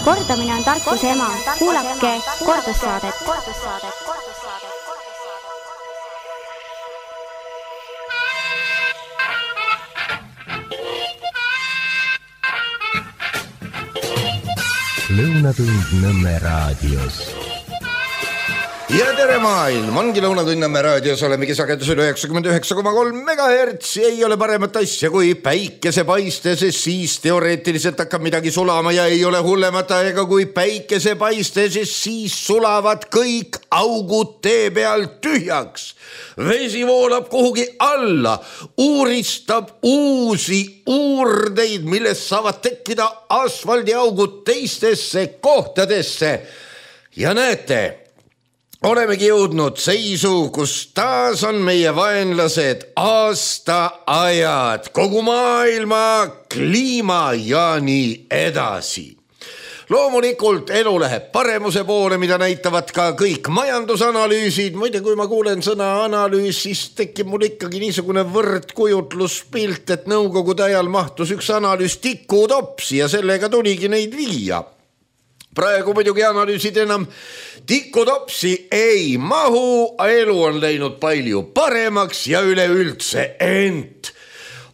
Kordamine on tarkuse ema. Kuulake kordussaadet. Lõunatund Nõmme raadios. Ja tere maailm, ongi Lõunatund Nõmme raadios, olemegi sagedusel 99,3 MHz. Ei ole paremat asja kui päikesepaiste, sest siis teoreetiliselt hakkab midagi sulama ja ei ole hullemat aega kui päikesepaiste, sest siis sulavad kõik augud tee peal tühjaks. Vesi voolab kuhugi alla, uuristab uusi uurdeid, millest saavad tekkida asfaldiaugud teistesse kohtadesse. Ja näete, olemegi jõudnud seisu, kus taas on meie vaenlased aastaajad, kogu maailma kliima ja nii edasi. Loomulikult elu läheb paremuse poole, mida näitavad ka kõik majandusanalüüsid. Muide, kui ma kuulen sõna analüüs, siis tekib mul ikkagi niisugune võrdkujutluspilt, et nõukogude ajal mahtus üks analüüs tikutopsi ja sellega tuligi neid viia. Praegu muidugi analüüsid enam tikutopsi ei mahu, elu on läinud palju paremaks ja üleüldse, ent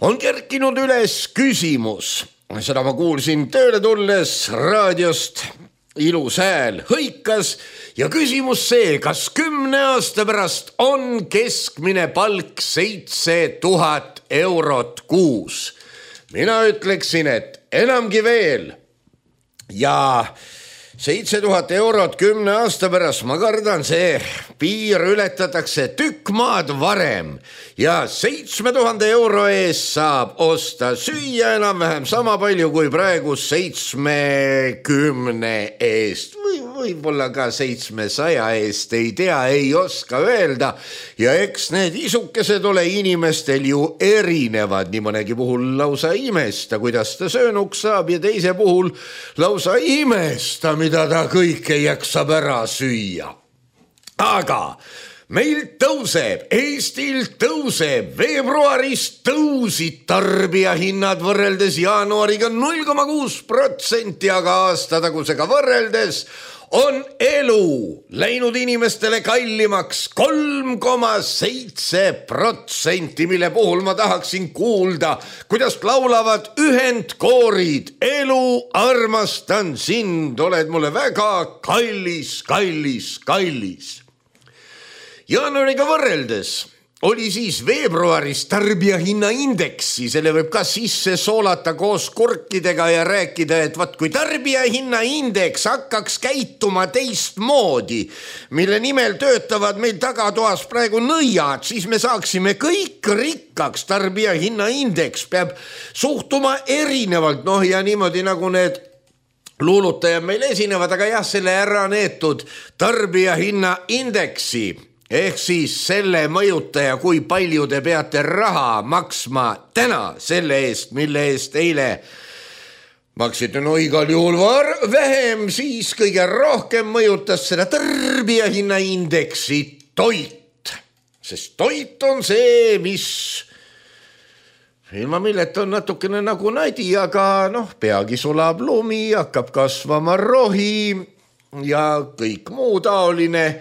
on kerkinud üles küsimus. Seda ma kuulsin tööle tulles raadiost, ilus hääl hõikas ja küsimus see, kas 10 aasta pärast on keskmine palk 7000 eurot kuus. Mina ütleksin, et enamgi veel ja 7000 eurot 10 aasta pärast, ma kardan, see piir ületatakse tükk maad varem ja 7000 euro eest saab osta süüa enam-vähem sama palju kui praegu 70 eest või võib-olla ka 700 eest, ei tea, ei oska öelda. Ja eks need isukesed ole inimestel ju erinevad, nii mõnegi puhul lausa imesta, kuidas ta söönuks saab ja teise puhul lausa imesta, mida ta kõike jaksab ära süüa. Aga meil tõuseb, Eestil tõuseb, veebruaris tõusid tarbijahinnad võrreldes jaanuariga 0,6%, aga aastatagusega võrreldes on elu läinud inimestele kallimaks 3,7%, mille puhul ma tahaksin kuulda, kuidas laulavad ühendkoorid. Elu, armastan sind, oled mulle väga kallis, kallis, kallis. Jaanuariga võrreldes oli siis veebruaris tarbijahinnaindeksi, selle võib ka sisse soolata koos kurkidega ja rääkida, et vaat kui tarbijahinnaindeks hakkaks käituma teistmoodi, mille nimel töötavad meil tagatoas praegu nõiad, siis me saaksime kõik rikkaks. Tarbijahinnaindeks peab suhtuma erinevalt, ja niimoodi nagu need luulutajad meil esinevad, aga jah, selle ära neetud tarbijahinnaindeksi ehk siis selle mõjutaja, kui palju te peate raha maksma täna selle eest, mille eest eile maksite igal juhul vähem, siis kõige rohkem mõjutas seda tarbijahinnaindeksi toit. Sest toit on see, mis ilma milleta on natukene nagu nadi, aga peagi sulab lumi, hakkab kasvama rohi ja kõik muu taoline.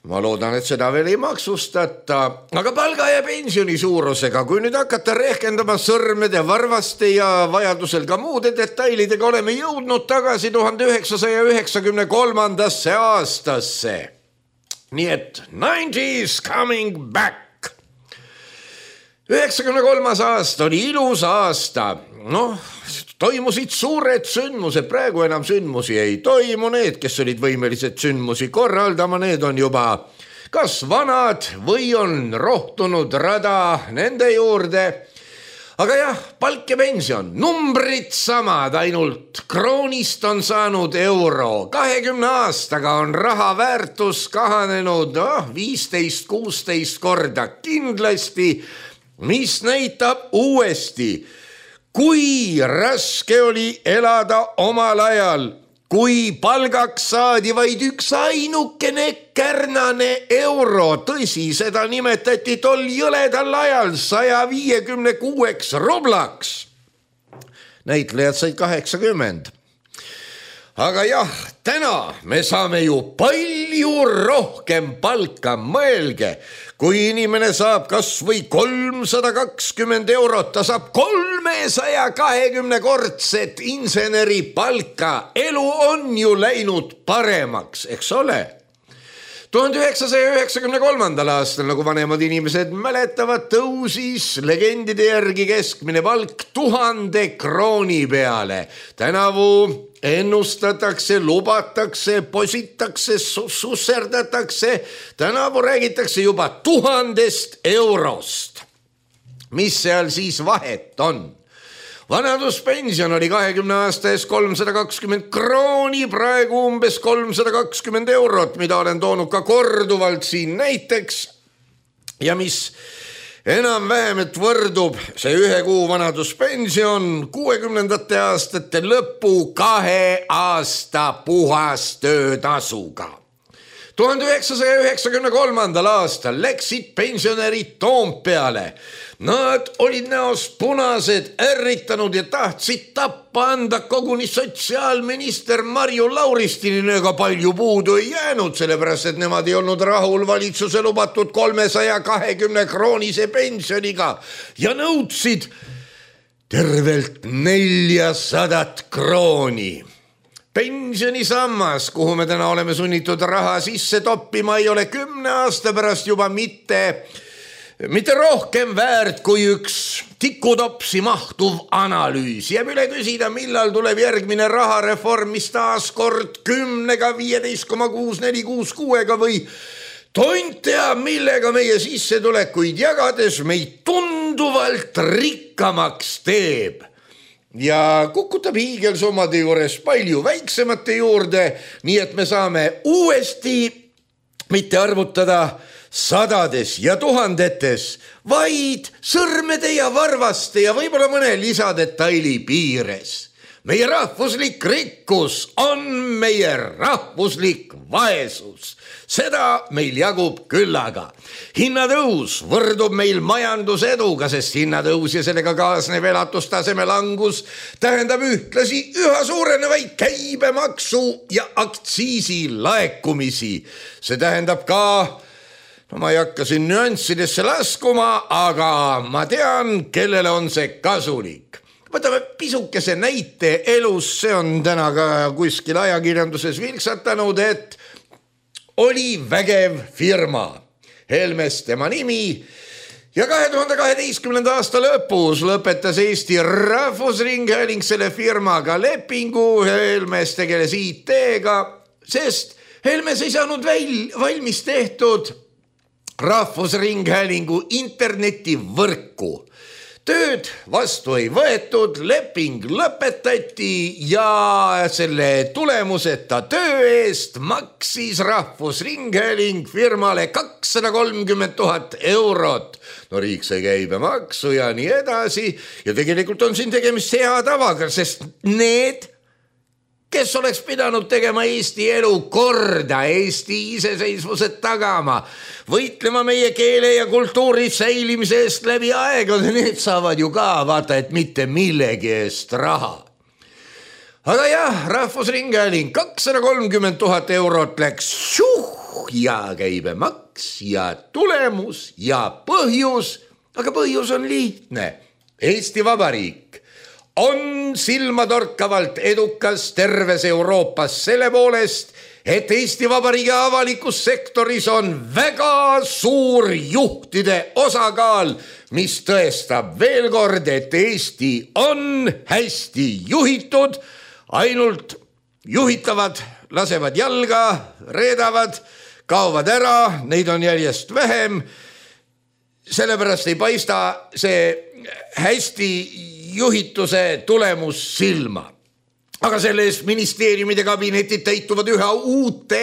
Ma loodan, et seda veel ei maksustata, aga palga ja pensioni suurusega, kui nüüd hakata rehkendama sõrmede, varvaste ja vajadusel ka muude detailidega, oleme jõudnud tagasi 1993. aastasse. Nii et 90s coming back. 93. aasta oli ilus aasta. Toimusid suured sündmused, praegu enam sündmusi ei toimu, need, kes olid võimelised sündmusi korraldama, need on juba kas vanad või on rohtunud rada nende juurde. Aga jah, palk ja pension, numbrid samad, ainult kroonist on saanud euro. 20 aastaga on raha väärtus kahanenud 15-16 korda kindlasti, mis näitab uuesti, kui raske oli elada omal ajal, kui palgaks saadi vaid üks ainukene kärnane euro. Tõsi, seda nimetati tol jõledal ajal 156 rublaks. Näitlejad said 80. aga jah, täna me saame ju palju rohkem palka, mõelge, kui inimene saab kas või 320 eurot, ta saab 320-kordset inseneri palka. Elu on ju läinud paremaks, eks ole? 1993. aastal, nagu vanemad inimesed mäletavad, tõusis legendide järgi keskmine palk 1000 krooni peale. Tänavu ennustatakse, lubatakse, positakse, susserdatakse. Tänavu räägitakse juba 1000 eurost. Mis seal siis vahet on? Vanaduspension oli 20 aasta ees 320 krooni, praegu umbes 320 eurot, mida olen toonud ka korduvalt siin näiteks. Ja mis enam-vähem, et võrdub see 1 kuu vanaduspension 60. aastate lõpu 2 aasta puhastöötasuga. 1993. aastal läksid pensionärid Toompeale. Nad olid näost punased, ärritanud ja tahtsid tappa anda koguni sotsiaalminister Marju Lauristinile, aga palju puudu ei jäänud, sellepärast et nemad ei olnud rahul valitsuse lubatud 320 kroonise pensioniga ja nõudsid tervelt 400 krooni. Pensionisammas, kuhu me täna oleme sunnitud raha sisse toppima, ei ole 10 aasta pärast juba mitte rohkem väärt kui üks tikutopsi mahtuv analüüs. Jääb üle küsida, millal tuleb järgmine rahareform, mis taas kord 10-ga, 15,646-ga või tont teab, millega meie sissetulekuid jagades meid tunduvalt rikkamaks teeb. Ja kukutab hiigelsummade juures palju väiksemate juurde, nii et me saame uuesti mitte arvutada sadades ja tuhandetes, vaid sõrmede ja varvaste ja võib-olla mõne lisadetaili piires. Meie rahvuslik rikkus on meie rahvuslik vaesus. Seda meil jagub küllaga. Hinnatõus võrdub meil majanduseduga, sest hinnatõus ja sellega kaasnev elatustaseme langus tähendab ühtlasi üha suurenevaid käibemaksu ja aktsiisi laekumisi. See tähendab ka, no ma ei hakka siin nüanssidesse laskuma, aga ma tean, kellele on see kasulik. Võtame pisukese näite elus, see on täna ka kuskil ajakirjanduses vilksatanud, et oli vägev firma, Helmes tema nimi, ja 2012. aasta lõpus lõpetas Eesti Rahvusringhääling selle firmaga lepingu. Helmes tegeles IT-ga, sest Helmes ei saanud valmis tehtud Rahvusringhäälingu internetivõrku. Tööd vastu ei võetud, leping lõpetati ja selle tulemuseta töö eest maksis Rahvusringhääling firmale 230 000 eurot. No riik sai käibemaksu ja nii edasi. Ja tegelikult on siin tegemist hea tavaga, sest need, kes oleks pidanud tegema Eesti elu korda, Eesti iseseisvused tagama, võitlema meie keele ja kultuuri säilimise eest läbi aegade, need saavad ju ka vaata, et mitte millegi eest raha. Aga jah, Rahvusringhääling 230 000 eurot läks ja käibemaks ja tulemus ja põhjus, aga põhjus on lihtne. Eesti Vabariik on silmatorkavalt edukas terves Euroopas selle poolest, et Eesti Vabariigi avalikus sektoris on väga suur juhtide osakaal, mis tõestab veel kord, et Eesti on hästi juhitud, ainult juhitavad, lasevad jalga, reedavad, kaovad ära, neid on järjest vähem, sellepärast ei paista see hästi juhituse tulemus silma. Aga selle eest ministeeriumide kabinetid täituvad üha uute,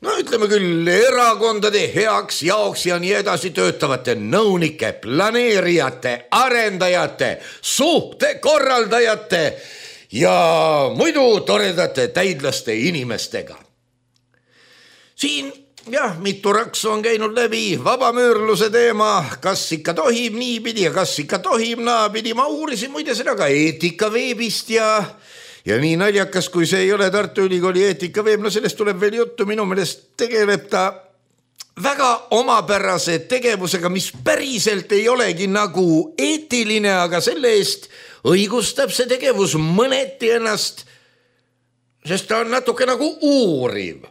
no ütleme küll erakondade heaks jaoks ja nii edasi töötavate nõunike, planeerijate, arendajate, suhtekorraldajate ja muidu toredate täidlaste inimestega. Siin jah, mitu raksu on käinud läbi vabamüürluse teema, kas ikka tohib niipidi ja kas ikka tohib naapidi. Ma uurisin muide seda ka Eetikaveebist ja Ja nii naljakas, kui see ei ole Tartu Ülikooli eetikaveeb, no sellest tuleb veel juttu, minu meelest tegeleb ta väga omapärase tegevusega, mis päriselt ei olegi nagu eetiline, aga selle eest õigustab see tegevus mõneti ennast, sest ta on natuke nagu uuriv.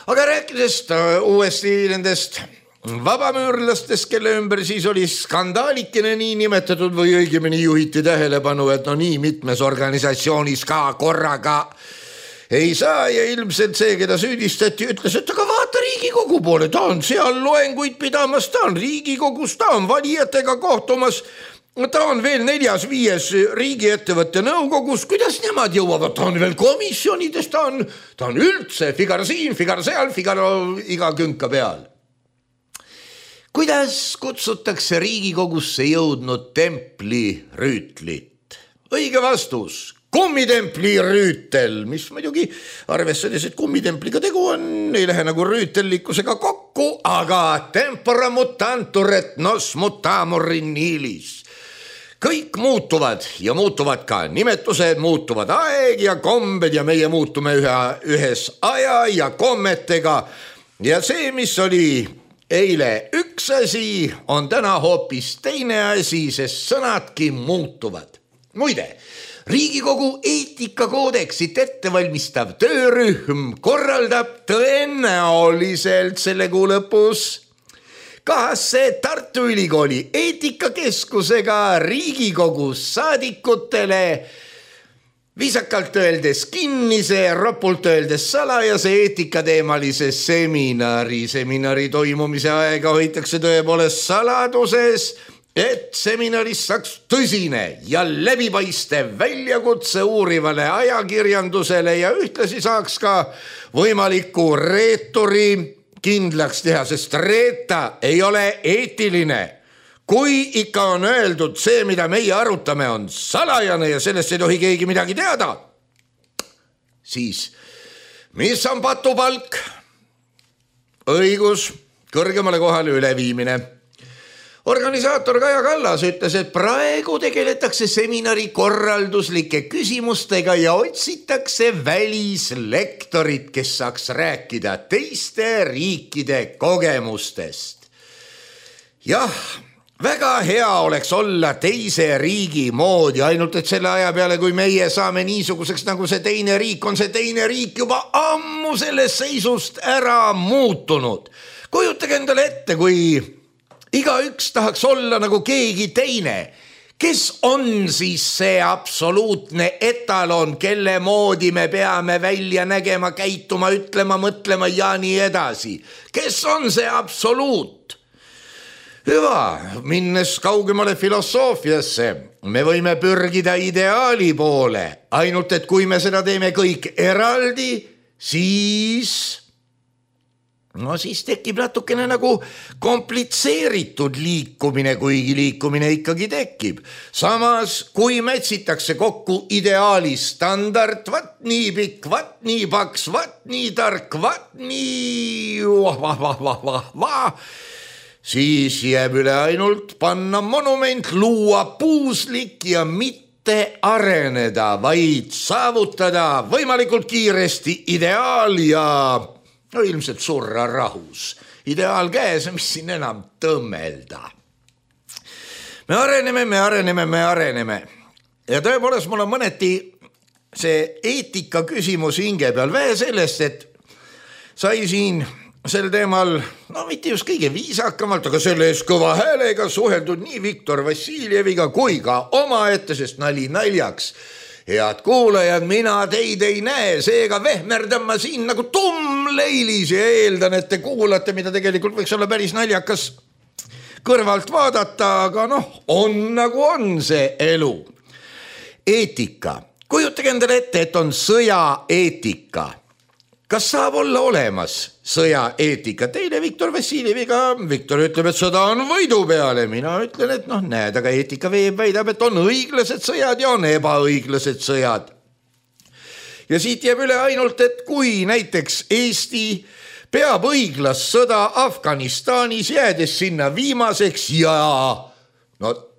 Aga rääkides uuesti nendest vabamüürlastest, kelle ümber siis oli skandaalikene nii nimetatud või õigemini juhiti tähelepanu, et no nii mitmes organisatsioonis ka korraga ei saa ja ilmselt see, keda süüdistati, ütles, et aga vaata Riigikogu poole, ta on seal loenguid pidamas, ta on Riigikogus, ta on valijatega kohtumas, ta on veel 4-5 riigiettevõtte nõukogus, kuidas nemad jõuavad, ta on veel komisjonides, ta on üldse Figaro siin, Figaro seal, Figaro iga künka peal. Kuidas kutsutakse Riigikogusse jõudnud templirüütlit? Õige vastus, kummitempli rüütel, mis muidugi arvestades, et kummitempliga tegu on, ei lähe nagu rüütellikkusega kokku, aga tempora mutantur et nos mutamur in nihis. Kõik muutuvad ja muutuvad ka, nimetused muutuvad, aeg ja kombed ja meie muutume ühes aja ja kommetega ja see, mis oli eile üks asi, on täna hoopis teine asi, sest sõnadki muutuvad. Muide, Riigikogu eetikakoodeksit ettevalmistav töörühm korraldab tõenäoliselt selle kuu lõpus kahasse Tartu Ülikooli eetikakeskusega Riigikogus saadikutele viisakalt öeldes kinnise, ropult öeldes salajase eetikateemalise seminari. Seminari toimumise aega hoitakse tõepoolest saladuses, et seminaris saaks tõsine ja läbipaistev väljakutse uurivale ajakirjandusele ja ühtlasi saaks ka võimaliku reeturi kindlaks teha, sest reeta ei ole eetiline. Kui ikka on öeldud see, mida meie arutame, on salajane ja sellest ei tohi keegi midagi teada, siis mis on patupalk? Õigus kõrgemale kohale üleviimine. Organisaator Kaja Kallas ütles, et praegu tegeletakse seminari korralduslike küsimustega ja otsitakse välislektorit, kes saaks rääkida teiste riikide kogemustest. Jah, väga hea oleks olla teise riigi moodi, ainult et selle aja peale, kui meie saame niisuguseks nagu see teine riik, on see teine riik juba ammu sellest seisust ära muutunud. Kujutage endale ette, kui igaüks tahaks olla nagu keegi teine. Kes on siis see absoluutne etalon, kelle moodi me peame välja nägema, käituma, ütlema, mõtlema ja nii edasi? Kes on see absoluut? Hüva, minnes kaugemale filosoofiasse, me võime pürgida ideaali poole, ainult et kui me seda teeme kõik eraldi, siis tekib natukene nagu komplitseeritud liikumine, kuigi liikumine ikkagi tekib. Samas, kui metsitakse kokku ideaali standard, vat nii pikk, vat nii paks, vat nii tark, vat nii siis jääb üle ainult panna monument, luua puuslik ja mitte areneda, vaid saavutada võimalikult kiiresti ideaal ja ilmselt surra rahus. Ideaal käes, mis siin enam tõmmelda. Me areneme. Ja tõepoolest mul on mõneti see eetika küsimus hinge peal. Vähe sellest, et sai siin sel teemal, mitte just kõige viisakamalt, aga selle eest kõva häälega suheldud nii Viktor Vassiljeviga kui ka omaette, sest nali naljaks. Head kuulajad, mina teid ei näe, seega vehmerdan ma siin nagu tummleilis ja eeldan, et te kuulate, mida tegelikult võiks olla päris naljakas kõrvalt vaadata, aga on nagu on see elu. Eetika. Kujutage endale ette, et on sõjaeetika. Kas saab olla olemas sõjaeetika? Teile Viktor Vassiljeviga, Viktor ütleb, et sõda on võidu peale. Mina ütlen, et näed, aga eetika väidab, et on õiglased sõjad ja on ebaõiglased sõjad. Ja siit jääb üle ainult, et kui näiteks Eesti peab õiglast sõda Afganistanis, jäädes sinna viimaseks ja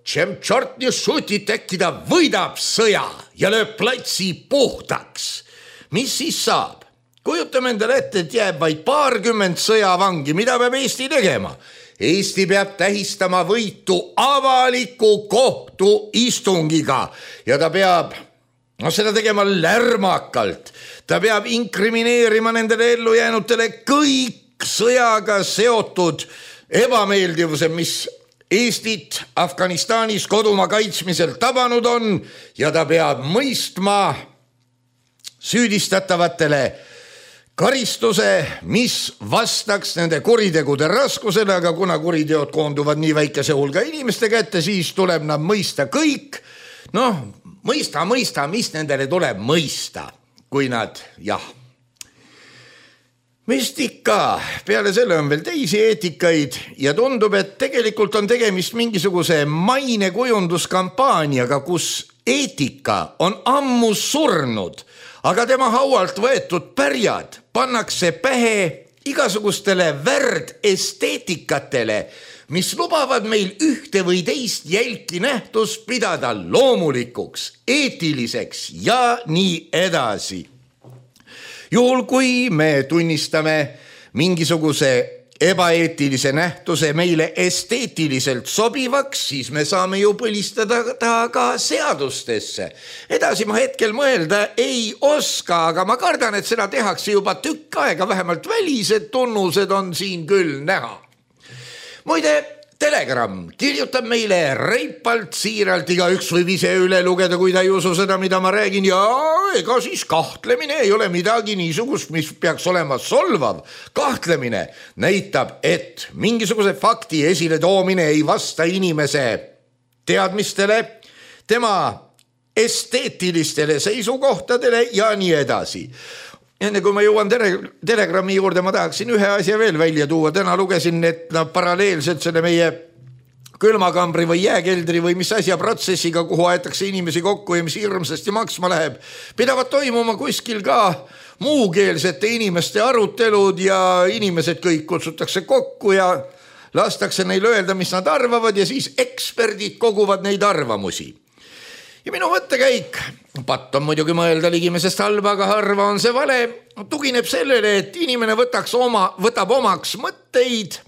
Tšem tšort nii šutit, äkki ta võidab sõja ja lööb platsi puhtaks. Mis siis saab? Kujutame endale ette, et jääb vaid 20 sõjavangi. Mida peab Eesti tegema? Eesti peab tähistama võitu avaliku kohtuistungiga ja ta peab seda tegema lärmakalt. Ta peab inkrimineerima nendele ellujäänutele kõik sõjaga seotud ebameeldivused, mis Eestit Afganistanis kodumaa kaitsmisel tabanud on ja ta peab mõistma süüdistatavatele karistuse, mis vastaks nende kuritegude raskusele, aga kuna kuriteod koonduvad nii väikese hulga inimeste kätte, siis tuleb nad mõista kõik. Mõista, mis nendele tuleb mõista, kui nad, Vist ikka, peale selle on veel teisi eetikaid ja tundub, et tegelikult on tegemist mingisuguse mainekujunduskampaaniaga, kus eetika on ammu surnud, aga tema haualt võetud pärjad pannakse pähe igasugustele värdesteetikatele, mis lubavad meil ühte või teist jälki nähtust pidada loomulikuks, eetiliseks ja nii edasi. Juhul kui me tunnistame mingisuguse ebaeetilise nähtuse meile esteetiliselt sobivaks, siis me saame ju põlistada ta ka seadustesse. Edasi ma hetkel mõelda ei oska, aga ma kardan, et seda tehakse juba tükk aega, vähemalt välised tunnused on siin küll näha. Muide, Telegram kirjutab meile reipalt, siiralt, igaüks võib ise üle lugeda, kui ta ei usu seda, mida ma räägin, ja ega siis kahtlemine ei ole midagi niisugust, mis peaks olema solvav. Kahtlemine näitab, et mingisuguse fakti esile toomine ei vasta inimese teadmistele, tema esteetilistele seisukohtadele ja nii edasi. Enne kui ma jõuan Telegrami juurde, ma tahaksin ühe asja veel välja tuua. Täna lugesin, et paralleelselt selle meie külmakambri või jääkeldri või mis asja protsessiga, kuhu aetakse inimesi kokku ja mis hirmsasti maksma läheb, pidavad toimuma kuskil ka muukeelsete inimeste arutelud ja inimesed kõik kutsutakse kokku ja lastakse neil öelda, mis nad arvavad ja siis eksperdid koguvad neid arvamusi. Ja minu mõttekäik, patt on muidugi mõelda ligimesest halba, aga harva on see vale, tugineb sellele, et inimene võtab omaks mõtteid,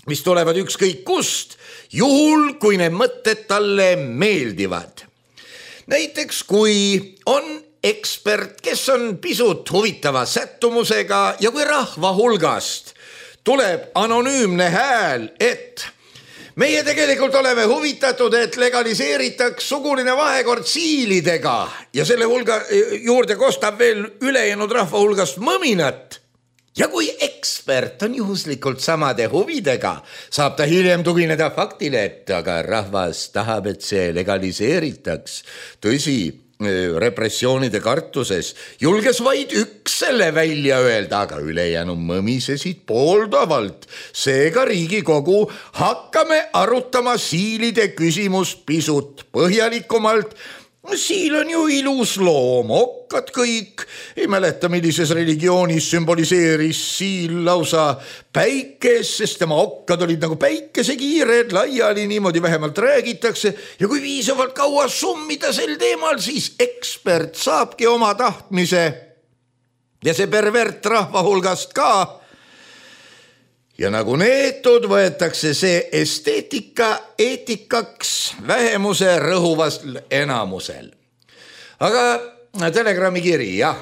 mis tulevad ükskõik kust, juhul kui need mõtted talle meeldivad. Näiteks kui on ekspert, kes on pisut huvitava sättumusega ja kui rahva hulgast tuleb anonüümne hääl, et meie tegelikult oleme huvitatud, et legaliseeritaks suguline vahekord siilidega ja selle hulga juurde kostab veel ülejäänud rahva hulgast mõminat. Ja kui ekspert on juhuslikult samade huvidega, saab ta hiljem tugineda faktile, et aga rahvas tahab, et see legaliseeritaks. Tõsi, repressioonide kartuses julges vaid üks selle välja öelda, aga ülejäänu mõmisesid pooldavalt. Seega Riigikogu hakkame arutama siilide küsimust pisut põhjalikumalt. Siil on ju ilus loom, okkad kõik. Ei mäleta, millises religioonis sümboliseeris siil lausa päikes, sest tema okkad olid nagu päikesekiired, laiali niimoodi vähemalt räägitakse. Ja kui viisavalt kaua summida sel teemal, siis ekspert saabki oma tahtmise ja see pervert rahva hulgast ka. Ja nagu neetud võetakse see esteetika eetikaks vähemuse rõhuvastel enamusel. Aga Telegrami kiri, jah.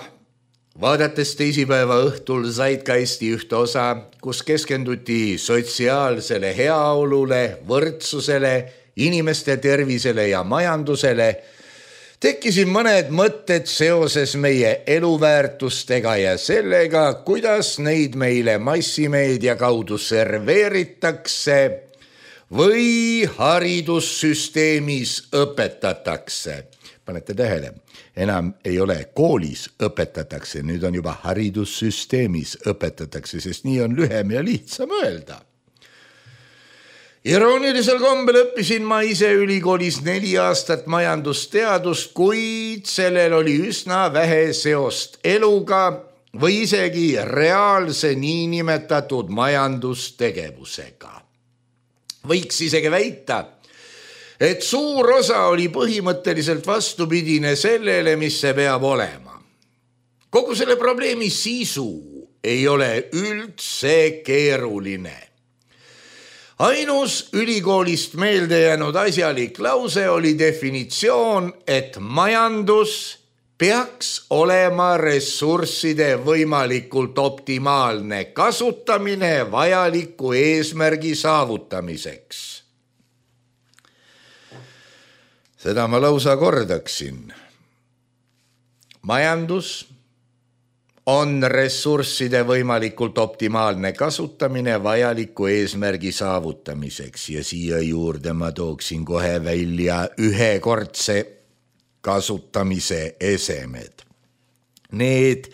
Vaadates teisipäeva õhtul Zeitgeisti ühte osa, kus keskenduti sotsiaalsele heaolule, võrdsusele, inimeste tervisele ja majandusele, tekkisid mõned mõtted seoses meie eluväärtustega ja sellega, kuidas neid meile massimeedia kaudu serveeritakse või haridussüsteemis õpetatakse. Panete tähele, enam ei ole koolis õpetatakse, nüüd on juba haridussüsteemis õpetatakse, sest nii on lühem ja lihtsam öelda. Iroonilisel kombel õppisin ma ise ülikoolis 4 aastat majandusteadust, kuid sellel oli üsna vähe seost eluga või isegi reaalse niinimetatud majandustegevusega. Võiks isegi väita, et suur osa oli põhimõtteliselt vastupidine sellele, mis see peab olema. Kogu selle probleemi sisu ei ole üldse keeruline. Ainus ülikoolist meelde jäänud asjalik lause oli definitsioon, et majandus peaks olema ressursside võimalikult optimaalne kasutamine vajaliku eesmärgi saavutamiseks. Seda ma lausa kordaksin. Majandus on ressursside võimalikult optimaalne kasutamine vajaliku eesmärgi saavutamiseks ja siia juurde ma tooksin kohe välja ühekordse kasutamise esemed. Need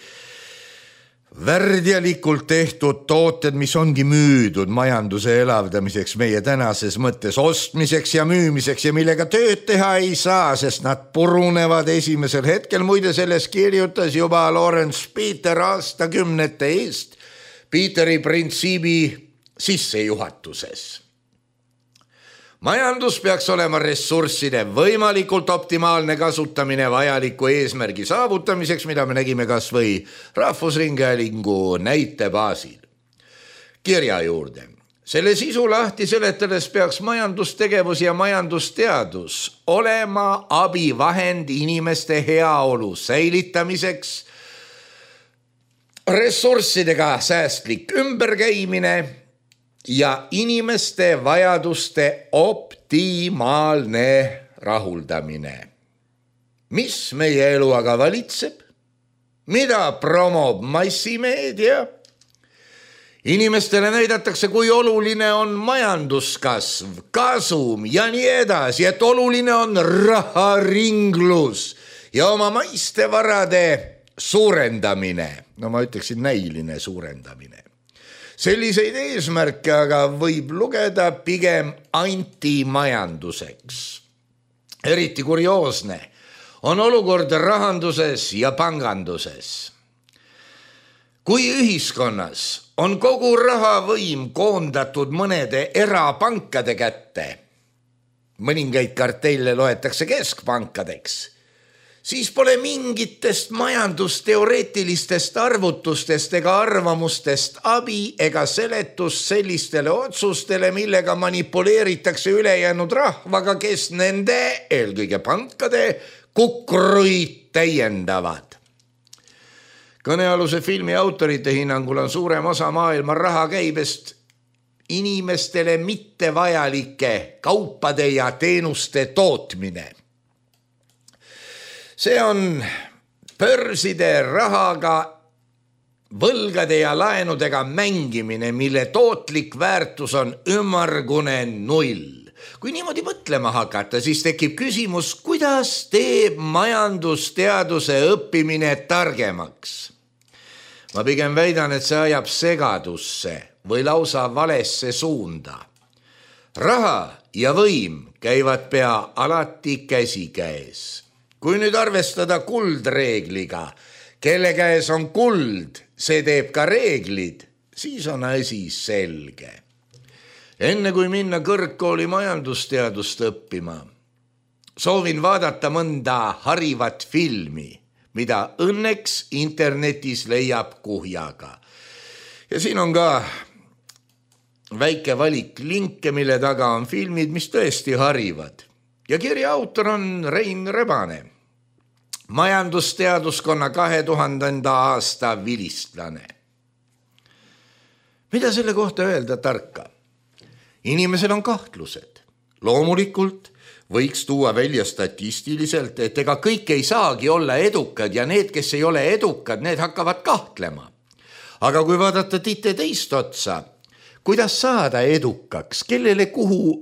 värdjalikult tehtud tooted, mis ongi müüdud majanduse elavdamiseks meie tänases mõttes ostmiseks ja müümiseks ja millega tööd teha ei saa, sest nad purunevad esimesel hetkel. Muide, selles kirjutas juba Lawrence Peter aastakümnete eest Peteri printsiibi sissejuhatuses. Majandus peaks olema ressursside võimalikult optimaalne kasutamine vajaliku eesmärgi saavutamiseks, mida me nägime kas või Rahvusringhäälingu näite baasil. Kirja juurde. Selle sisu lahti seletades peaks majandustegevus ja majandusteadus olema abivahend inimeste heaolu säilitamiseks, ressurssidega säästlik ümberkäimine ja inimeste vajaduste optimaalne rahuldamine. Mis meie elu aga valitseb? Mida promob massimeedia? Inimestele näidatakse, kui oluline on majanduskasv, kasum ja nii edasi, et oluline on raharinglus ja oma maiste varade suurendamine. No ma ütleksin näiline suurendamine. Selliseid eesmärke aga võib lugeda pigem antimajanduseks. Eriti kurioosne on olukord rahanduses ja panganduses. Kui ühiskonnas on kogu rahavõim koondatud mõnede erapankade kätte, mõningaid kartelle loetakse keskpankadeks, siis pole mingitest majandusteoreetilistest arvutustest ega arvamustest abi ega seletust sellistele otsustele, millega manipuleeritakse ülejäänud rahvaga, kes nende, eelkõige pankade, kukruid täiendavad. Kõnealuse filmi autorite hinnangul on suurem osa maailma rahakäibest inimestele mittevajalike kaupade ja teenuste tootmine. See on börside rahaga, võlgade ja laenudega mängimine, mille tootlik väärtus on ümmargune null. Kui niimoodi mõtlema hakata, siis tekib küsimus, kuidas teeb majandusteaduse õppimine targemaks. Ma pigem väidan, et see ajab segadusse või lausa valesse suunda. Raha ja võim käivad pea alati käsikäes. Kui nüüd arvestada kuldreegliga, kelle käes on kuld, see teeb ka reeglid, siis on asi selge. Enne kui minna kõrgkooli majandusteadust õppima, soovin vaadata mõnda harivat filmi, mida õnneks internetis leiab kuhjaga. Ja siin on ka väike valik linke, mille taga on filmid, mis tõesti harivad. Ja kirja autor on Rein Rebane, majandusteaduskonna 2000. aasta vilistlane. Mida selle kohta öelda tarka? Inimesel on kahtlused. Loomulikult võiks tuua välja statistiliselt, et ega kõik ei saagi olla edukad ja need, kes ei ole edukad, need hakkavad kahtlema. Aga kui vaadata tite teist otsa, kuidas saada edukaks, kellele kuhu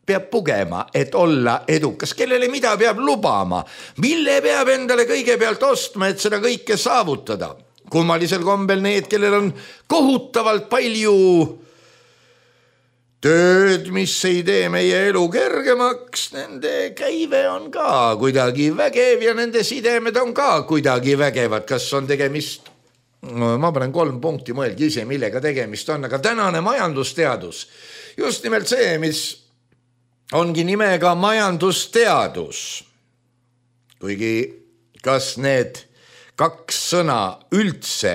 peab pugema, et olla edukas, kellele mida peab lubama, mille peab endale kõigepealt ostma, et seda kõike saavutada. Kummalisel kombel need, kellel on kohutavalt palju tööd, mis ei tee meie elu kergemaks, nende käive on ka kuidagi vägev ja nende sidemed on ka kuidagi vägevad. Kas on tegemist? No, ma panen 3 punkti, mõelge ise, millega tegemist on, aga tänane majandusteadus, just nimelt see, mis ongi nimega majandusteadus. Kuigi kas need kaks sõna üldse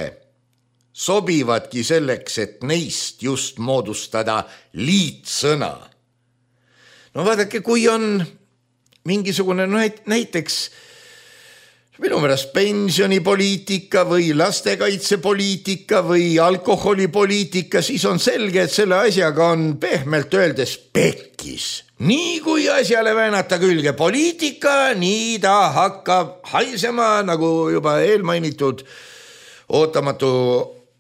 sobivadki selleks, et neist just moodustada liitsõna. No vaadake, kui on mingisugune näiteks minu meelest pensionipoliitika või lastekaitsepoliitika või alkoholipoliitika, siis on selge, et selle asjaga on pehmelt öeldes pekkis. Nii kui asjale väänata külge poliitika, nii ta hakkab haisema, nagu juba eelmainitud ootamatu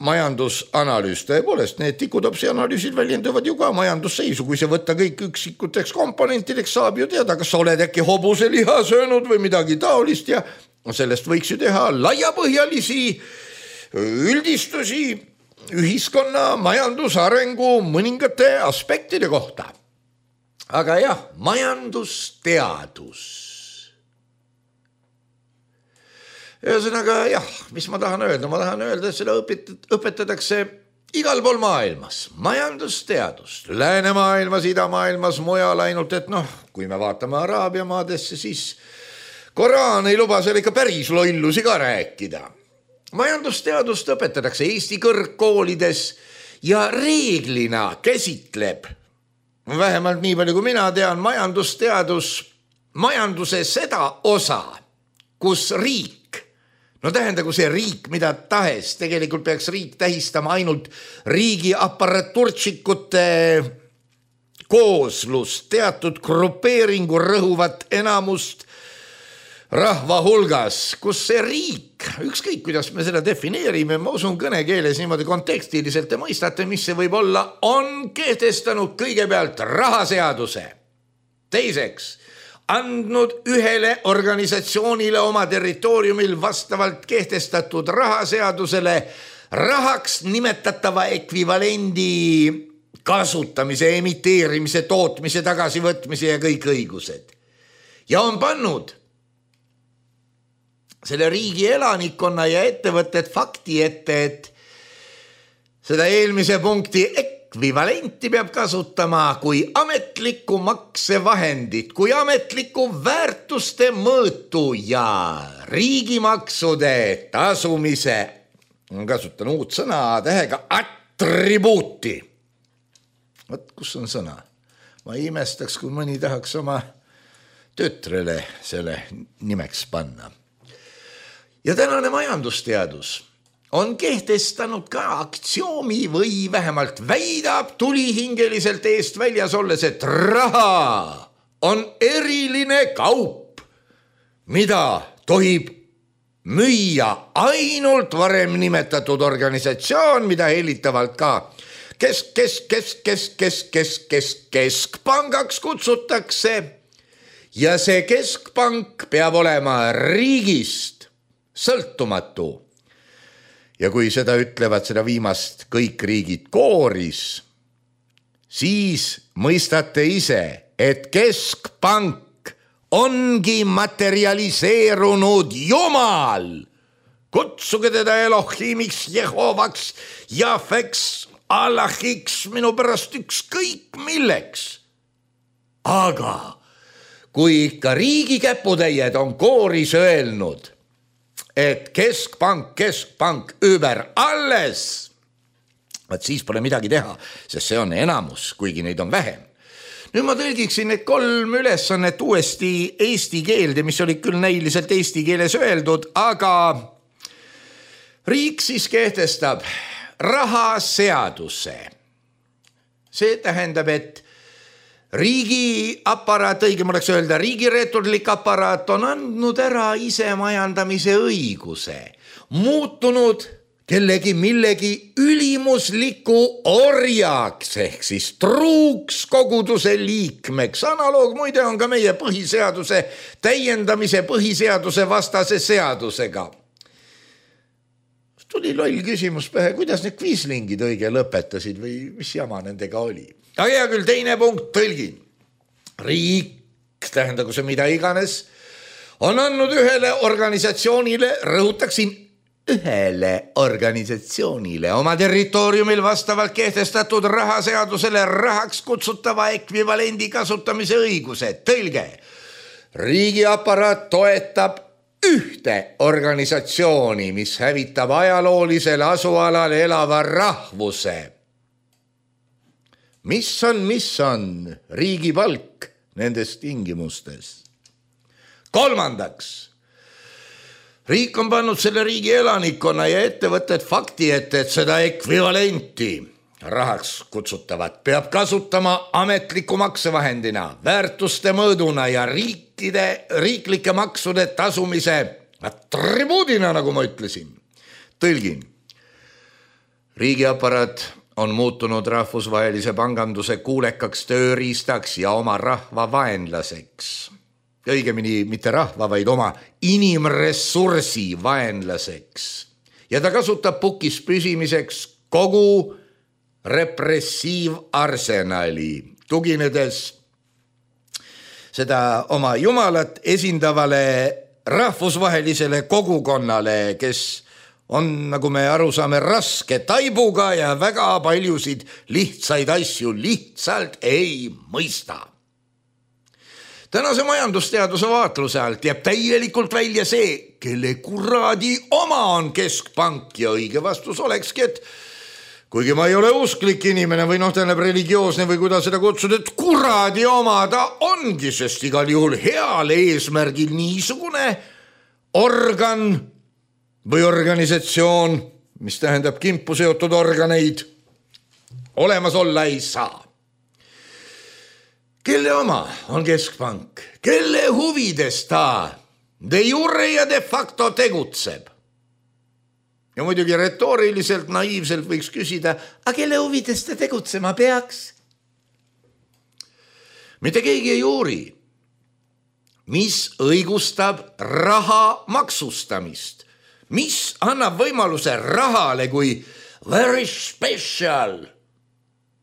majandusanalüüs. Tõepoolest, need tikutopsi analüüsid väljenduvad ju ka majandusseisu. Kui see võtta kõik üksikuteks komponentideks, saab ju teada, kas sa oled äkki hobuseliha söönud või midagi taolist ja sellest võiks ju teha laiapõhjalisi üldistusi ühiskonna majandusarengu mõningate aspektide kohta. Aga jah, majandusteadus. Ühesõnaga jah, mis ma tahan öelda? Ma tahan öelda, et seda õpetatakse igal pool maailmas. Majandusteadust. Läänemaailmas, idamaailmas, mujal ainult, et kui me vaatame Araabia maadesse, siis Koraan ei luba seal ikka päris lollusi ka rääkida. Majandusteadust õpetatakse Eesti kõrgkoolides ja reeglina käsitleb, vähemalt nii palju kui mina tean, majandusteadus majanduse seda osa, kus riik, tähendagu see riik mida tahes, tegelikult peaks riik tähistama ainult riigi aparaturtsikute kooslust, teatud grupeeringu rõhuvat enamust rahva hulgas, kus see riik, ükskõik kuidas me seda defineerime, ma usun kõnekeeles niimoodi kontekstiliselt te mõistate, mis see võib olla, on kehtestanud kõigepealt rahaseaduse. Teiseks, andnud ühele organisatsioonile oma territooriumil vastavalt kehtestatud rahaseadusele rahaks nimetatava ekvivalendi kasutamise, emiteerimise, tootmise, tagasivõtmise ja kõik õigused. Ja on pannud selle riigi elanikkonna ja ettevõtted fakti ette, et seda eelmise punkti ekvivalenti peab kasutama kui ametlikku maksevahendit, kui ametlikku väärtuste mõõtu ja riigimaksude tasumise, kasutan uut sõna tähega attribuuti. Võt, kus on sõna? Ma imestaks, kui mõni tahaks oma töötrele selle nimeks panna. Ja tänane majandusteadus on kehtestanud ka aktsioomi või vähemalt väidab tulihingeliselt eest väljas olles, et raha on eriline kaup, mida tohib müüa ainult varem nimetatud organisatsioon, mida helitavalt ka keskpangaks kutsutakse. Ja see keskpank peab olema riigist sõltumatu. Ja kui seda ütlevad seda viimast kõik riigid kooris, siis mõistate ise, et keskpank ongi materialiseerunud Jumal. Kutsuge teda Elohimiks, Jehovaks, Jahveks, Allahiks, minu pärast ükskõik milleks. Aga kui ikka riigi käputäied on kooris öelnud, et keskpank über alles, siis pole midagi teha, sest see on enamus, kuigi neid on vähem. Nüüd ma tõlgiksin need 3 ülesannet uuesti eesti keelde, mis olid küll näiliselt eesti keeles öeldud, aga riik siis kehtestab rahaseaduse. See tähendab, et riigi aparaat, õigem oleks öelda, riigireeturlik aparaat on andnud ära ise majandamise õiguse, muutunud kellegi millegi ülimusliku orjaks ehk siis truuks koguduse liikmeks. Analoog muide on ka meie põhiseaduse täiendamise põhiseaduse vastase seadusega. Tuli loll küsimus pähe, kuidas need kviislingid õige lõpetasid või mis jama nendega oli. Aga hea küll, teine punkt, tõlgin. Riik, tähendagu see mida iganes, on andnud ühele organisatsioonile, rõhutaksin, ühele organisatsioonile oma territooriumil vastavalt kehtestatud rahaseadusele rahaks kutsutava ekvivalendi kasutamise õiguse. Tõlge, riigiaparaat toetab ühte organisatsiooni, mis hävitab ajaloolisel asualal elava rahvuse. Mis on riigi palk nendes tingimustes? Kolmandaks, riik on pannud selle riigi elanikkonna ja ettevõtted fakti ette, et seda ekvivalenti rahaks kutsutavat peab kasutama ametliku maksevahendina, väärtuste mõõduna ja riiklike maksude tasumise atribuudina, nagu ma ütlesin. Tõlgin. Riigiaparaat on muutunud rahvusvahelise panganduse kuulekaks tööriistaks ja oma rahva vaenlaseks. Õigemini mitte rahva, vaid oma inimressursi vaenlaseks. Ja ta kasutab pukis püsimiseks kogu repressiivarsenali, tuginedes seda oma jumalat esindavale rahvusvahelisele kogukonnale, kes on, nagu me aru saame, raske taibuga ja väga paljusid lihtsaid asju lihtsalt ei mõista. Tänase majandusteaduse vaatluse alt jääb täielikult välja see, kelle kuradi oma on keskpank ja õige vastus olekski, et kuigi ma ei ole usklik inimene või tähendab religioosne või kuidas seda kutsud, et kuradi oma ta ongi, sest igal juhul heal eesmärgil niisugune organ või organisatsioon, mis tähendab kimpu seotud organeid, olemas olla ei saa. Kelle oma on keskpank? Kelle huvides ta de jure ja de facto tegutseb? Ja muidugi retooriliselt, naiivselt võiks küsida, aga kelle huvides ta tegutsema peaks? Mitte keegi ei uuri, mis õigustab raha maksustamist, mis annab võimaluse rahale kui very special,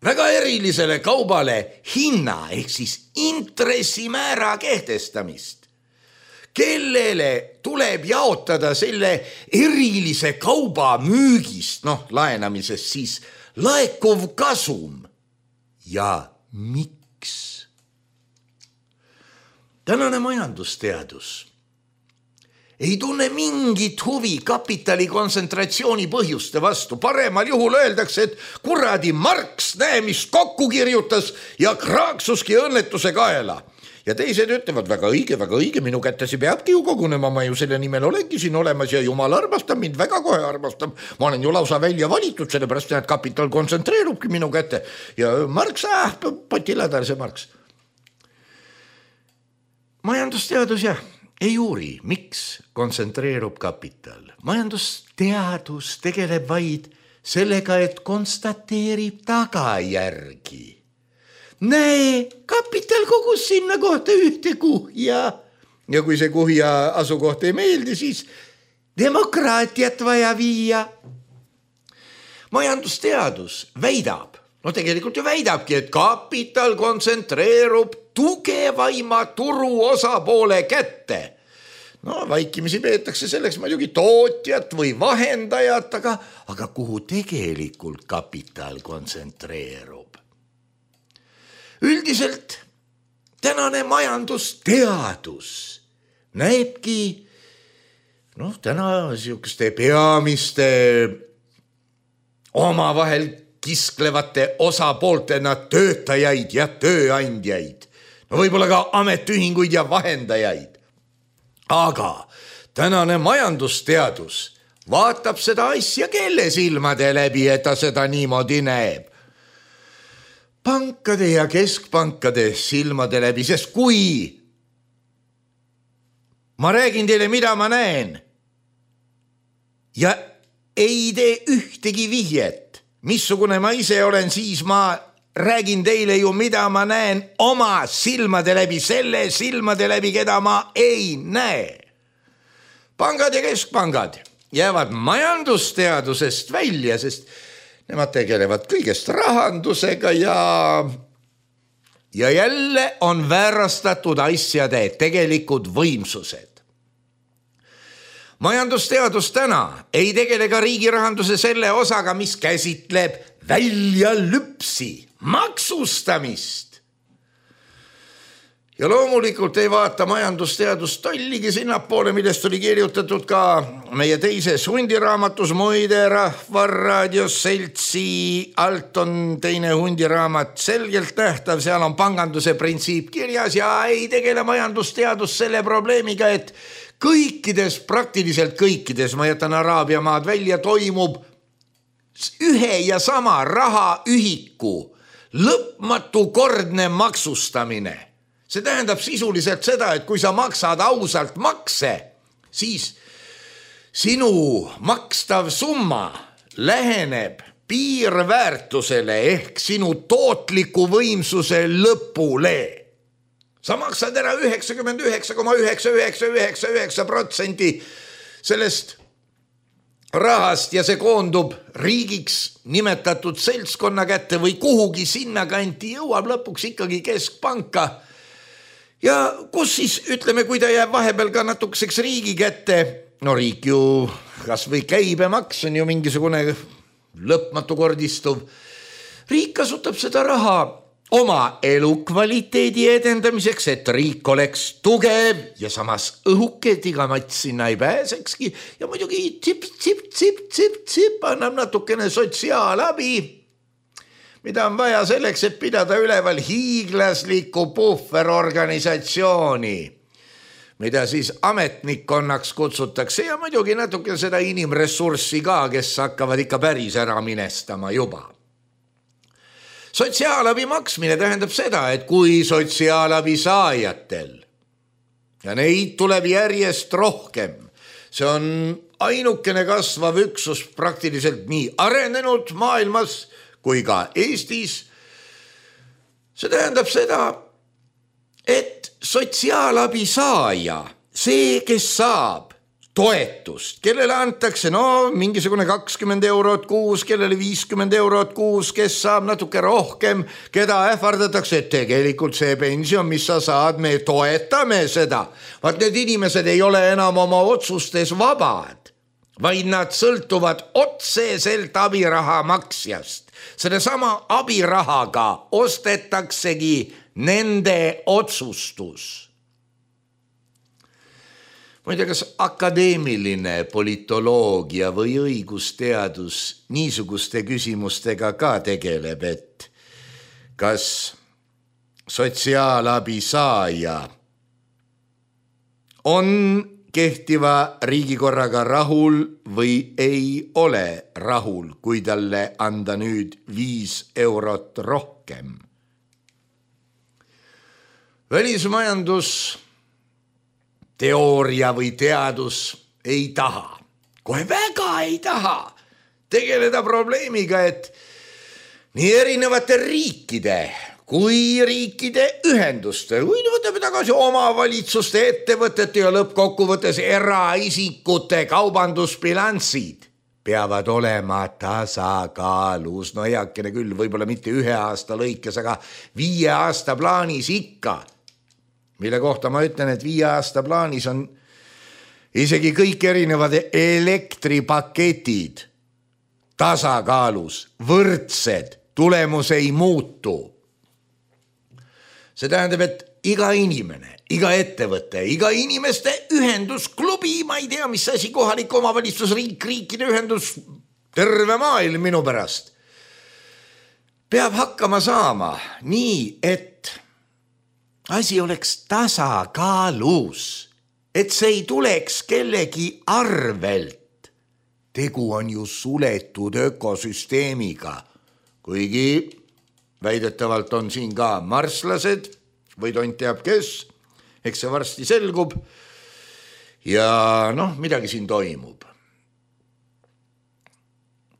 väga erilisele kaubale hinna ehk siis intressimäära kehtestamist. Kellele tuleb jaotada selle erilise kauba müügist, laenamisest siis laekuv kasum ja miks? Tänane majandusteadus ei tunne mingit huvi kapitali kontsentratsiooni põhjuste vastu. Paremal juhul öeldakse, et kuradi Marx, näe, mis kokku kirjutas ja kraaksuski õnnetuse kaela. Ja teised ütlevad, väga õige, minu kättesi peabki ju kogunema, ma ju selle nimel olengi siin olemas ja jumal armastab mind, väga kohe armastab. Ma olen ju lausa välja valitud, sellepärast et kapital kontsentreerubki minu kätte. Ja Marx, potiladal see Marx. Majandusteadus ei uuri, miks kontsentreerub kapital. Majandusteadus tegeleb vaid sellega, et konstateerib tagajärgi. Näe, kapital kogus sinna kohta ühte kuhja. Ja kui see kuhja asukoht ei meeldi, siis demokraatiat vaja viia. Majandusteadus väidab, tegelikult ju väidabki, et kapital kontsentreerub tugevaima turu osapoole kätte. Vaikimisi peetakse selleks muidugi tootjat või vahendajat, aga kuhu tegelikult kapital kontsentreerub? Üldiselt tänane majandusteadus näebki täna siukuste peamiste omavahel kisklevate osapooltena töötajaid ja tööandjaid. Võib-olla ka ametiühinguid ja vahendajaid. Aga tänane majandusteadus vaatab seda asja kelle silmade läbi, et ta seda niimoodi näeb. Pankade ja keskpankade silmade läbi, sest kui ma räägin teile, mida ma näen ja ei tee ühtegi vihjet, missugune ma ise olen, siis ma räägin teile ju, mida ma näen oma silmade läbi, selle silmade läbi, keda ma ei näe. Pangad ja keskpangad jäävad majandusteadusest välja, sest nemad tegelevad kõigest rahandusega ja jälle on väärastatud asjade tegelikud võimsused. majandusteadus täna ei tegele ka riigi rahanduse selle osaga, mis käsitleb väljalüpsi, maksustamist. Ja loomulikult ei vaata majandusteadus tolligi sinnapoole, millest oli kirjutatud ka meie teises hundiraamatus, muide Rahvaraadios seltsi alt on teine hundiraamat selgelt nähtav, seal on panganduse printsiip kirjas ja ei tegele majandusteadus selle probleemiga, et praktiliselt kõikides, ma jätan Araabia maad välja, toimub ühe ja sama rahaühiku lõpmatu kordne maksustamine. See tähendab sisuliselt seda, et kui sa maksad ausalt makse, siis sinu makstav summa läheneb piirväärtusele ehk sinu tootliku võimsuse lõpule. Sa maksad ära 99,9999% sellest rahast ja see koondub riigiks nimetatud seltskonna kätte või kuhugi sinna kanti jõuab lõpuks ikkagi keskpanka. Ja kus siis, ütleme, kui ta jääb vahepeal ka natukeseks riigi kätte, no riik ju, kas või käibemaks on ju mingisugune lõpmatu kordistuv. Riik kasutab seda raha oma elukvaliteedi edendamiseks, et riik oleks tugev ja samas õhuke, et iga mats sinna ei pääsekski. Ja muidugi tsip annab natukene sotsiaalabi, mida on vaja selleks, et pidada üleval hiiglaslikku puhverorganisatsiooni, mida siis ametnikkonnaks kutsutakse ja muidugi natuke seda inimressurssi ka, kes hakkavad ikka päris ära minestama juba. Sotsiaalabi maksmine tähendab seda, et kui sotsiaalabi saajatel ja neid tuleb järjest rohkem, see on ainukene kasvav üksus praktiliselt nii arenenud maailmas kui ka Eestis. See tähendab seda, et sotsiaalabi saaja, see, kes saab toetust, kellele antakse mingisugune 20 eurot kuus, kellele 50 eurot kuus, kes saab natuke rohkem, keda ähvardatakse, et tegelikult see pension, mis sa saad, me toetame seda. Vaat need inimesed ei ole enam oma otsustes vabad, vaid nad sõltuvad otseselt abiraha maksjast. Selle sama abirahaga ostetaksegi nende otsustus. Ma ei tea, kas akadeemiline politoloogia või õigusteadus niisuguste küsimustega ka tegeleb, et kas sotsiaalabi saaja on kehtiva riigikorraga rahul või ei ole rahul, kui talle anda nüüd 5 eurot rohkem. Välismajandus, teooria või teadus ei taha, kohe väga ei taha tegeleda probleemiga, et nii erinevate riikide kui riikide ühenduste, kui võtame tagasi omavalitsuste, ettevõtete ja lõppkokkuvõttes eraisikute kaubandusbilansid peavad olema tasakaalus. No heakene küll, võib-olla mitte 1 aasta lõikes, aga 5 aasta plaanis ikka. Mille kohta ma ütlen, et 5 aasta plaanis on isegi kõik erinevad elektripaketid tasakaalus, võrdsed, tulemus ei muutu. See tähendab, et iga inimene, iga ettevõte, iga inimeste ühendusklubi, ma ei tea, mis asi, kohalik omavalitsus, riikide ühendus, terve maailm minu pärast, peab hakkama saama nii, et asi oleks tasakaalus, et see ei tuleks kellegi arvelt. Tegu on ju suletud ökosüsteemiga, kuigi väidetavalt on siin ka marslased või tont teab kes, eks see varsti selgub ja midagi siin toimub.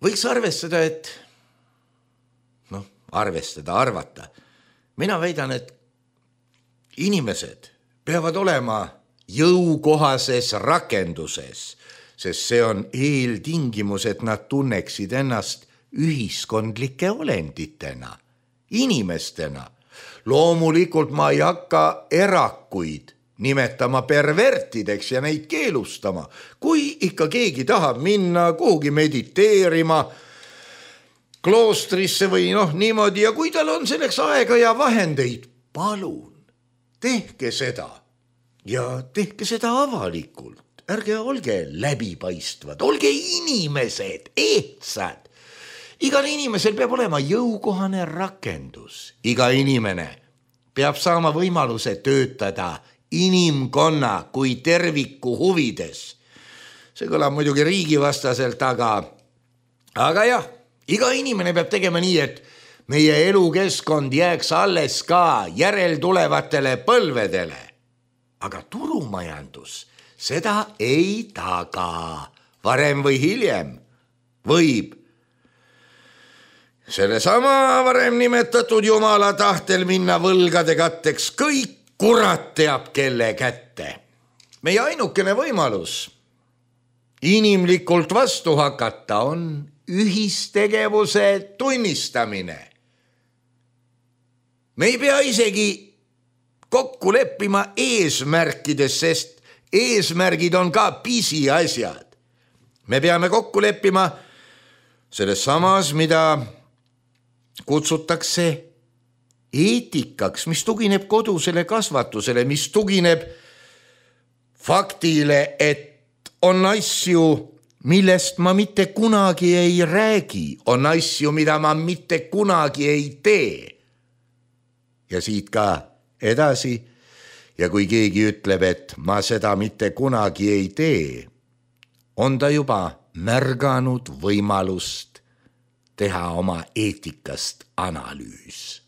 Võiks arvestada, et arvata. Mina väidan, et inimesed peavad olema jõukohases rakenduses, sest see on eeltingimus, et nad tunneksid ennast ühiskondlike olenditena, inimestena. Loomulikult ma ei hakka erakuid nimetama pervertideks ja neid keelustama. Kui ikka keegi tahab minna kuhugi mediteerima kloostrisse või niimoodi ja kui tal on selleks aega ja vahendeid, palun, tehke seda ja tehke seda avalikult. Ärge olge läbipaistvad, olge inimesed, ehtsad. Igal inimesel peab olema jõukohane rakendus. Iga inimene peab saama võimaluse töötada inimkonna kui terviku huvides. See kõlab muidugi riigivastaselt, aga jah, iga inimene peab tegema nii, et meie elukeskkond jääks alles ka järeltulevatele põlvedele. Aga turumajandus seda ei taga. Varem või hiljem võib sellesama varem nimetatud jumala tahtel minna võlgade katteks kõik kurat teab kelle kätte. Meie ainukene võimalus inimlikult vastu hakata on ühistegevuse tunnistamine. Me ei pea isegi kokku leppima eesmärkides, sest eesmärgid on ka pisiasjad. Me peame kokku leppima selles samas, mida kutsutakse eetikaks, mis tugineb kodusele kasvatusele, mis tugineb faktile, et on asju, millest ma mitte kunagi ei räägi, on asju, mida ma mitte kunagi ei tee. Ja siit ka edasi. Ja kui keegi ütleb, et ma seda mitte kunagi ei tee, on ta juba märganud võimalust teha oma eetikast analüüs.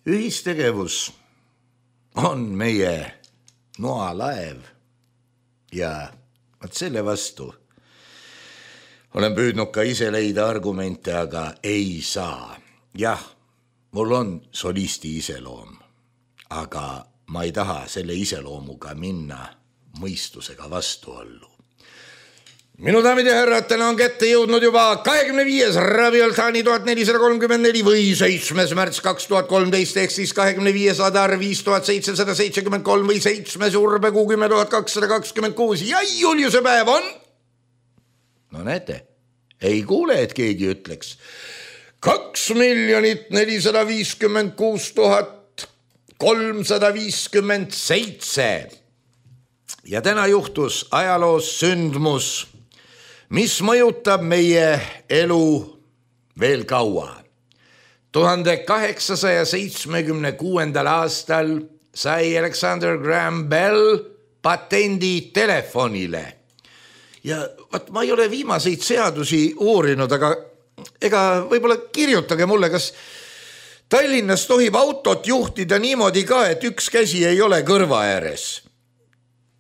Ühistegevus on meie noalaev ja selle vastu olen püüdnud ka ise leida argumente, aga ei saa. Jah, mul on solisti iseloom. Aga ma ei taha selle iseloomuga minna mõistusega vastuollu. Minu daamid ja härrad, täna on kätte jõudnud juba 25. Ravioltani 1434 või 7. märts 2013 ehk siis 25. Adar 5773 või 7. Urbekuu 10226 ja Juliuse päev on. No näete, ei kuule, et keegi ütleks 2 456 357. Ja täna juhtus ajaloos sündmus, mis mõjutab meie elu veel kaua. 1876. aastal sai Alexander Graham Bell patendi telefonile. Ja ma ei ole viimaseid seadusi uurinud, aga võib-olla kirjutage mulle, kas Tallinnas tohib autot juhtida niimoodi ka, et üks käsi ei ole kõrva ääres.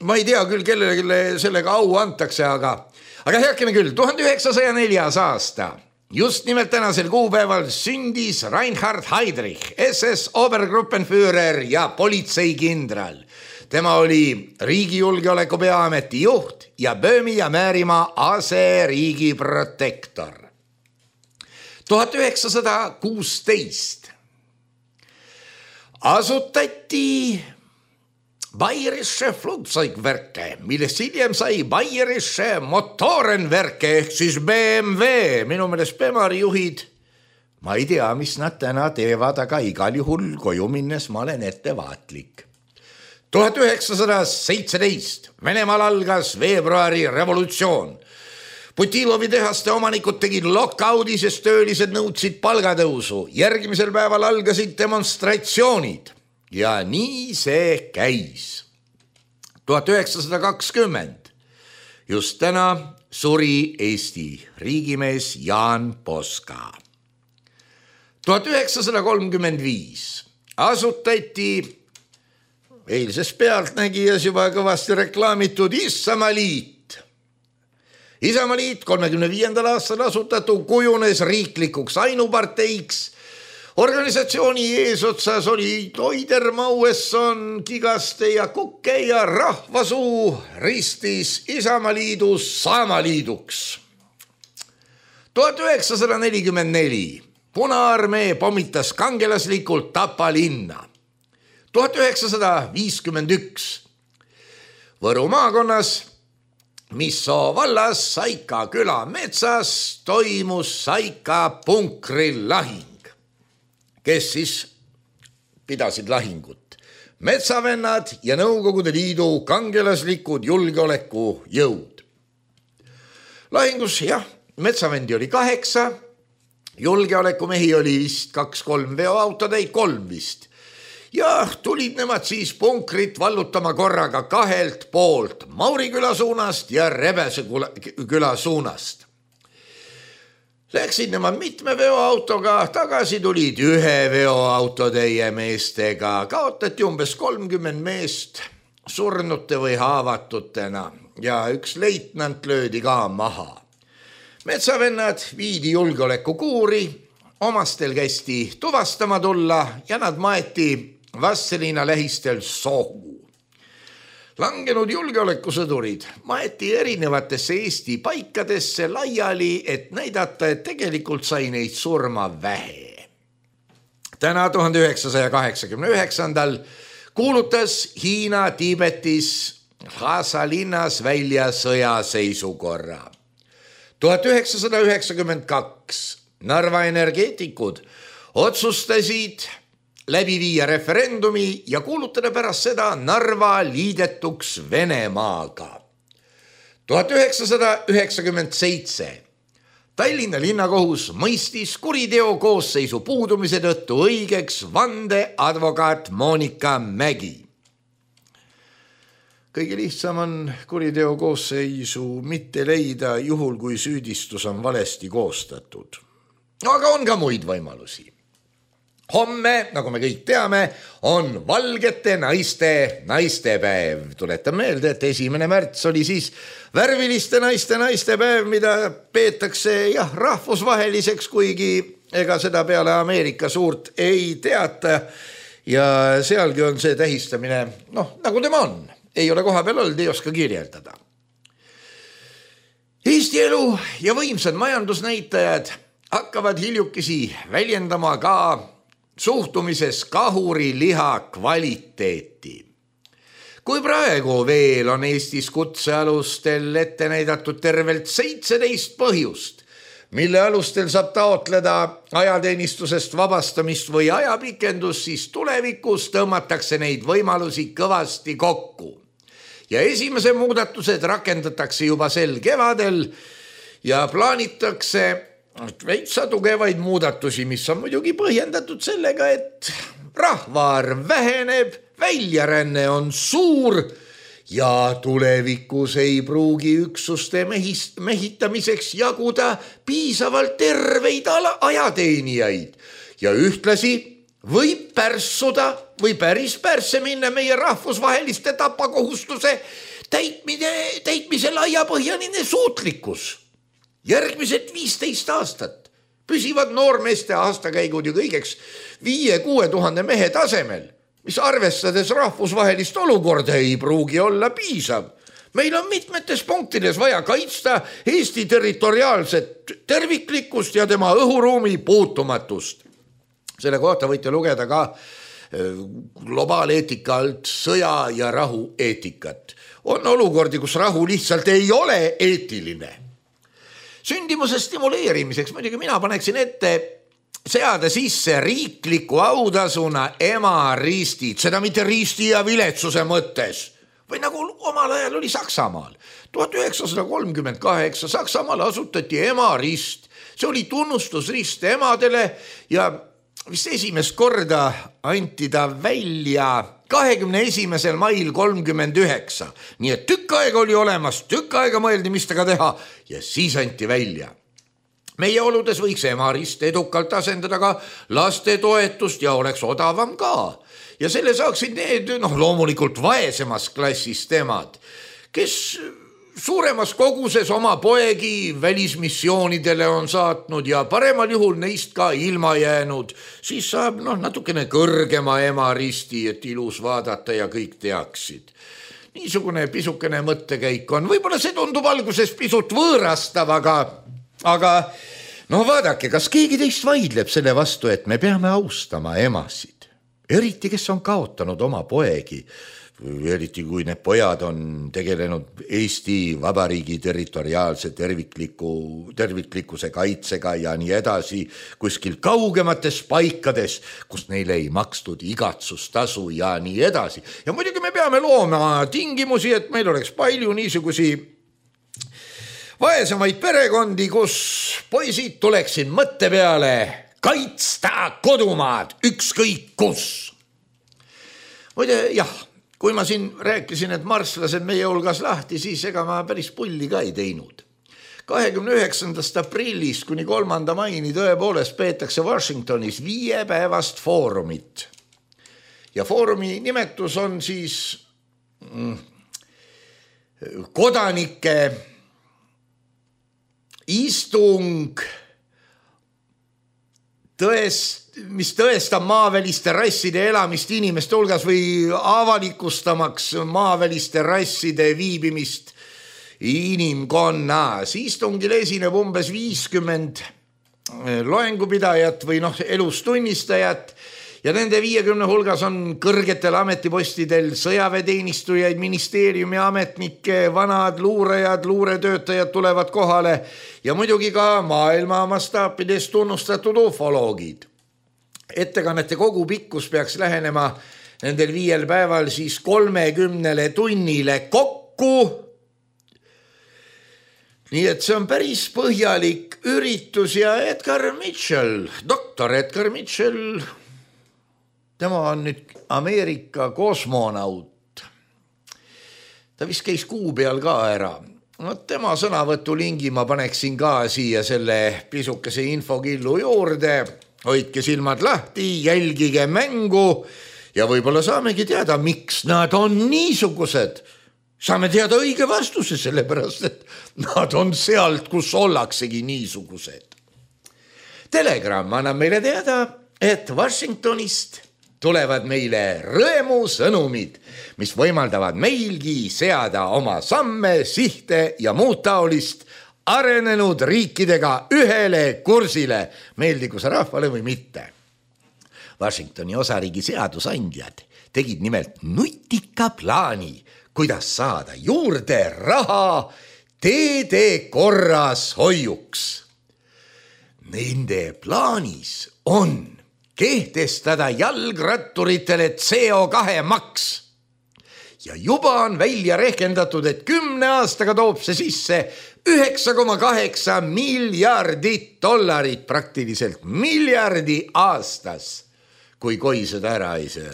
Ma ei tea küll, kellele sellega au antakse, aga heakene küll, 1904. aasta. Just nimelt tänasel kuupäeval sündis Reinhard Heydrich, SS Obergruppenführer ja politseikindral. Tema oli riigijulgeoleku peaameti juht ja Böömi ja Määrimaa aseriigi protektor. 1916 asutati Bayerische Flugzeugwerke, millest hiljem sai Bayerische Motorenwerke ehk siis BMW. Minu meelest Bemari juhid, ma ei tea, mis nad täna teevad, aga igal juhul koju minnes ma olen ettevaatlik. 1917 Venemaal algas veebruari revolutsioon. Putilovi tehaste omanikud tegid lockoudi, sest töölised nõudsid palgatõusu. Järgmisel päeval algasid demonstratsioonid ja nii see käis. 1920 just täna suri Eesti riigimees Jaan Poska. 1935 asutati eilses Pealtnägijas juba kõvasti reklaamitud Isamaaliit. Isamaaliit 35. aastal asutatu kujunes riiklikuks ainuparteiks. Organisatsiooni eesotsas oli Toider, Mauesson, Kigaste ja Kukke ja rahvasuu ristis Isamaaliidu Saamaliiduks. 1944 Punaarmee pommitas kangelaslikult Tapa linna. 1951 Võru maakonnas Missoo vallas Saika küla metsas toimus Saika punkrilahing. Kes siis pidasid lahingut? Metsavennad ja Nõukogude Liidu kangelaslikud julgeolekujõud. Lahingus, metsavendi oli 8, julgeolekumehi oli vist 2-3, veoautodeid 3 vist. Ja tulid nemad siis punkrit vallutama korraga 2 poolt, Mauriküla suunast ja Rebese küla suunast. Läksid nemad mitme veoautoga, tagasi tulid 1 veoautotäie meestega, kaotati umbes 30 meest surnute või haavatutena ja 1 leitnant löödi ka maha. Metsavennad viidi julgeolekukuuri, omastel kästi tuvastama tulla ja nad maeti Vastseliina lähistel sohu. Langenud julgeolekusõdurid maeti erinevatesse Eesti paikadesse laiali, et näidata, et tegelikult sai neid surma vähe. Täna 1989. kuulutas Hiina Tiibetis Lhasa linnas välja sõjaseisukorra. 1992 Narva energeetikud otsustasid läbi viia referendumi ja kuulutada pärast seda Narva liidetuks Venemaaga. 1997 Tallinna linnakohus mõistis kuriteo koosseisu puudumise tõttu õigeks vandeadvokaat Monika Mägi. Kõige lihtsam on kuriteo koosseisu mitte leida juhul, kui süüdistus on valesti koostatud. Aga on ka muid võimalusi. Homme, nagu me kõik teame, on valgete naistepäev. Tuletan meelde, et 1. märts oli siis värviliste naistepäev, mida peetakse rahvusvaheliseks, kuigi ega seda peale Ameerika suurt ei teata. Ja sealgi on see tähistamine, nagu tema on. Ei ole koha peal olnud, ei oska kirjeldada. Eesti elu ja võimsad majandusnäitajad hakkavad hiljukesi väljendama ka suhtumises kahuriliha kvaliteeti. Kui praegu veel on Eestis kutsealustel ette näidatud tervelt 17 põhjust, mille alustel saab taotleda ajateenistusest vabastamist või ajapikendust, siis tulevikus tõmmatakse neid võimalusi kõvasti kokku. Ja esimese muudatused rakendatakse juba sel kevadel ja plaanitakse veitsa tugevaid muudatusi, mis on muidugi põhjendatud sellega, et rahvaarv väheneb, väljaränne on suur ja tulevikus ei pruugi üksuste mehitamiseks jaguda piisavalt terveid ajateenijaid ja ühtlasi võib pärssuda või päris pärsse minna meie rahvusvaheliste tapakohustuse täitmise laiapõhjaline suutlikkus. Järgmised 15 aastat püsivad noormeeste aastakäigud ju kõigeks 5-6 tuhande mehe tasemel, mis arvestades rahvusvahelist olukorda ei pruugi olla piisav. Meil on mitmetes punktides vaja kaitsta Eesti territoriaalset terviklikkust ja tema õhuruumi puutumatust. Selle kohta võite lugeda ka globaaleetika alt sõja ja rahu eetikat. On olukordi, kus rahu lihtsalt ei ole eetiline. Sündimuse stimuleerimiseks muidugi mina paneksin ette seada sisse riikliku autasuna emaristid, seda mitte risti ja viletsuse mõttes, või nagu omal ajal oli Saksamaal. 1938 Saksamaal asutati emarist, see oli tunnustusrist emadele ja vist esimest korda anti ta välja 21. mail 39. Nii et tükk aega oli olemas, tükk aega mõeldi, mis tega teha ja siis anti välja. Meie oludes võiks emarist edukalt asendada ka lastetoetust ja oleks odavam ka. Ja selle saaksid need loomulikult vaesemas klassist emad, kes suuremas koguses oma poegi välismissioonidele on saatnud ja paremal juhul neist ka ilma jäänud, siis saab natukene kõrgema emaristi, et ilus vaadata ja kõik teaksid. Niisugune pisukene mõttekäik on. Võib-olla see tundub alguses pisut võõrastav, aga vaadake, kas keegi teist vaidleb selle vastu, et me peame austama emasid. eriti kes on kaotanud oma poegi, eriti kui need pojad on tegelenud Eesti Vabariigi territoriaalse terviklikkuse kaitsega ja nii edasi kuskil kaugemates paikades, kus neile ei makstud igatsustasu ja nii edasi. Ja muidugi me peame looma tingimusi, et meil oleks palju niisugusi vaesemaid perekondi, kus poisid tuleksid mõtte peale kaitsta kodumaad ükskõik kus. Muide, jah, kui ma siin rääkisin, et marslased meie hulgas lahti, siis ega ma päris pulli ka ei teinud. 29. aprillist kuni 3. maini tõepoolest peetakse Washingtonis 5-päevast foorumit. Ja foorumi nimetus on siis kodanike istung, mis tõestab maaväliste rasside elamist inimeste hulgas või avalikustamaks maaväliste rasside viibimist inimkonnas. Istungil esineb umbes 50 loengupidajat või elustunnistajat ja nende 50 hulgas on kõrgetel ametipostidel sõjaväeteenistujaid, ministeeriumi ametnikke, vanad luurajad, luuretöötajad tulevad kohale ja muidugi ka maailma mastaapides tunnustatud ufoloogid. Ettekannete kogu pikkus peaks lähenema nendel 5 päeval siis 30 tunnile kokku. Nii et see on päris põhjalik üritus ja Edgar Mitchell, doktor Edgar Mitchell, tema on nüüd Ameerika kosmonaut. Ta vist käis kuu peal ka ära. Tema sõnavõtu lingi ma paneksin ka siia selle pisukese infokillu juurde. Hoidke silmad lahti, jälgige mängu ja võib-olla saamegi teada, miks nad on niisugused. Saame teada õige vastuse, sellepärast, et nad on sealt, kus ollaksegi niisugused. Telegram annab meile teada, et Washingtonist tulevad meile rõõmusõnumid, mis võimaldavad meilgi seada oma samme, sihte ja muud taolist arenenud riikidega ühele kursile, meeldigu see rahvale või mitte. Washingtoni osariigi seadusandjad tegid nimelt nutika plaani, kuidas saada juurde raha teede korras hoiuks. Nende plaanis on kehtestada jalgratturitele CO2 maks. Ja juba on välja rehkendatud, et 10 aastaga toob see sisse $9,8 miljardit, praktiliselt miljardi aastas, kui koi seda ära ei söö.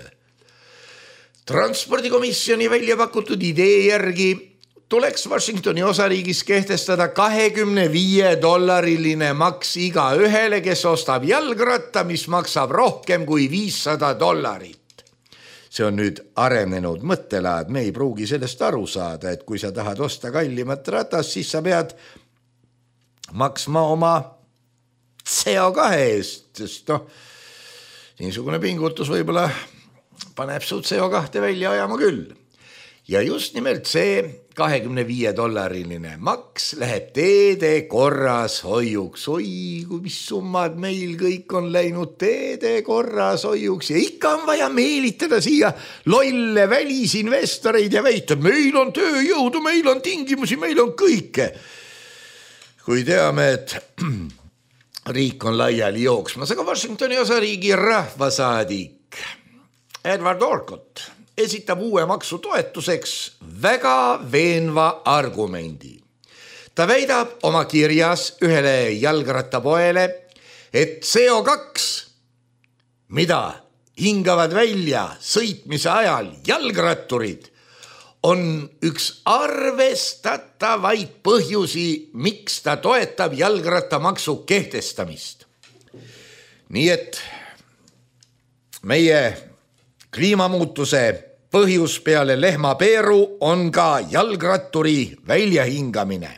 Transpordikomisjoni välja pakutud idee järgi tuleks Washingtoni osariigis kehtestada $25 maks iga ühele, kes ostab jalgratta, mis maksab rohkem kui $500. See on nüüd arenenud mõttelaad, me ei pruugi sellest aru saada, et kui sa tahad osta kallimat ratas, siis sa pead maksma oma CO2 eest, sest niisugune pingutus võib-olla paneb su CO2 välja ajama küll. Ja just nimelt see $25 maks läheb teede korras hoiuks. Oi, kui mis summad meil kõik on läinud teede korras hoiuks ja ikka on vaja meelitada siia lolle välisinvestoreid ja väita, meil on tööjõudu, meil on tingimusi, meil on kõike. Kui teame, et riik on laiali jooksmas, aga Washingtoni osariigi rahvasaadik Edward Orcott esitab uue maksu toetuseks väga veenva argumendi. Ta väidab oma kirjas ühele jalgrattapoele, et CO2, mida hingavad välja sõitmise ajal jalgratturid, on üks arvestatavaid põhjusi, miks ta toetab jalgrattamaksu kehtestamist. Nii et meie kliimamuutuse põhjus peale lehmapeeru on ka jalgratturi väljahingamine.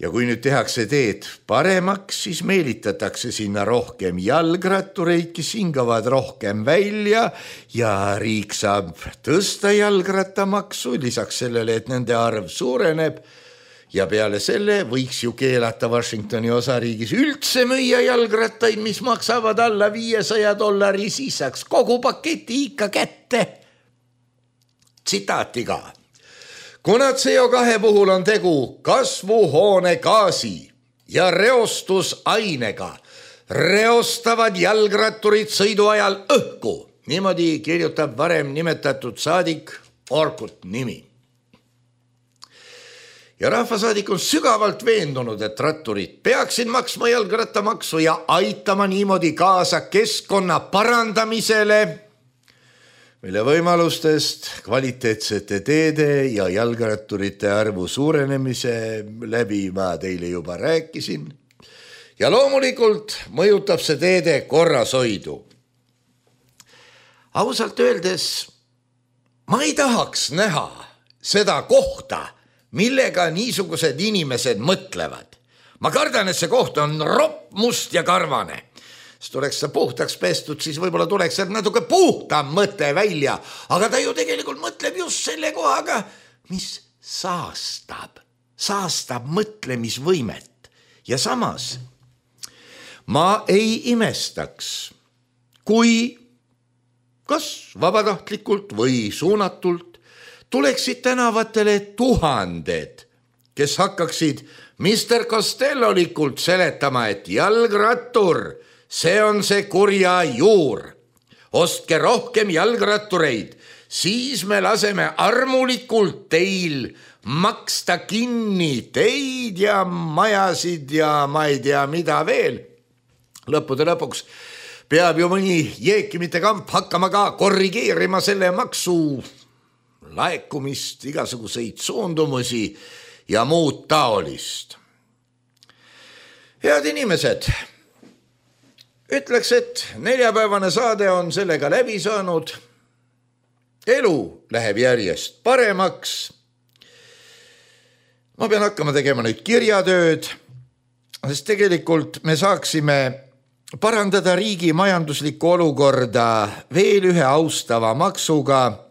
Ja kui nüüd tehakse teed paremaks, siis meelitatakse sinna rohkem jalgrattureid, kes hingavad rohkem välja ja riik saab tõsta jalgrattamaksu, lisaks sellele, et nende arv suureneb Ja peale selle võiks ju keelata Washingtoni osariigis üldse müüa jalgrattaid, mis maksavad alla $500, siis saaks kogu paketi ikka kätte. Tsitaatiga. Kuna CO2 puhul on tegu kasvuhoonegaasi ja reostusainega, reostavad jalgratturid sõidu ajal õhku. Niimoodi kirjutab varem nimetatud saadik Orkut nimi. Ja rahvasaadik on sügavalt veendunud, et ratturid peaksid maksma jalgrattamaksu ja aitama niimoodi kaasa keskkonna parandamisele, mille võimalustest kvaliteetsete teede ja jalgratturite arvu suurenemise läbi ma teile juba rääkisin. Ja loomulikult mõjutab see teede korrashoidu. Ausalt öeldes ma ei tahaks näha seda kohta, millega niisugused inimesed mõtlevad. Ma kardan, et see koht on ropp, must ja karvane. Siis tuleks see puhtaks pestud, siis võib-olla tuleks sealt natuke puhtam mõte välja, aga ta ju tegelikult mõtleb just selle kohaga, mis saastab mõtlemisvõimet. Ja samas ma ei imestaks, kui kas vabatahtlikult või suunatult tuleksid tänavatele tuhanded, kes hakkaksid Mr. Costellolikult seletama, et jalgrattur, see on see kurja juur. Ostke rohkem jalgrattureid, siis me laseme armulikult teil maksta kinni teid ja majasid ja ma ei tea mida veel. Lõppude lõpuks peab ju mõni jeekimite kamp hakkama ka korrigeerima selle maksu laekumist, igasuguseid suundumusi ja muud taolist. Head inimesed, ütleks, et neljapäevane saade on sellega läbi saanud. Elu läheb järjest paremaks. Ma pean hakkama tegema nüüd kirjatööd, sest tegelikult me saaksime parandada riigi majanduslikku olukorda veel ühe austava maksuga.